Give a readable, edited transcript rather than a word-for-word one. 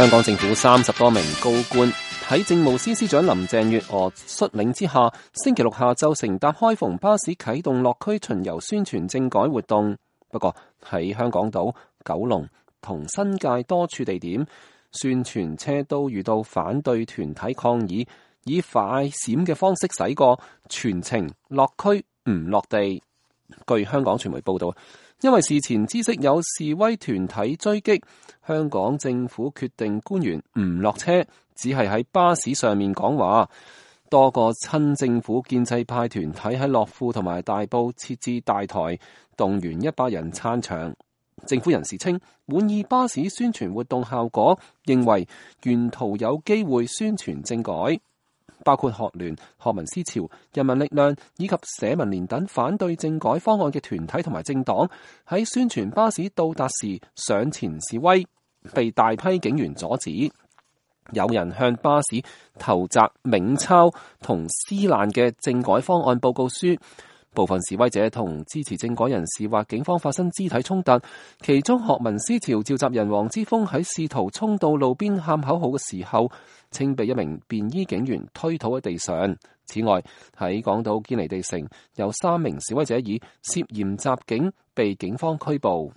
香港政府30多名高官喺政務司司長林鄭月娥率領之下，星期六下晝乘搭開篷巴士啟動落區巡遊宣傳政改活動。不過喺香港島、九龍同新界多處地點，宣傳車都遇到反對團體抗議，以快閃嘅方式駛過，全程落區唔落地。據香港傳媒報道，因為事前知悉有示威團體追擊，香港政府決定官員唔落車，只係喺巴士上面講話。多個親政府建制派團體喺樂富同埋大埔設置大台，動員100人撐場。政府人士稱滿意巴士宣傳活動效果，認為沿途有機會宣傳政改。包括學聯、學民思潮、人民力量以及社民連等反對政改方案嘅團體同埋政黨，喺宣傳巴士到達時上前示威，被大批警員阻止。有人向巴士投擲冥鈔同撕爛嘅政改方案報告書。部分示威者同支持政改人士或警方發生肢體衝突，其中學民思潮召集人黃之鋒喺試圖衝到路邊喊口號嘅時候，稱被一名便衣警員推倒喺地上。此外，喺港島堅尼地城有3名示威者以涉嫌襲警被警方拘捕。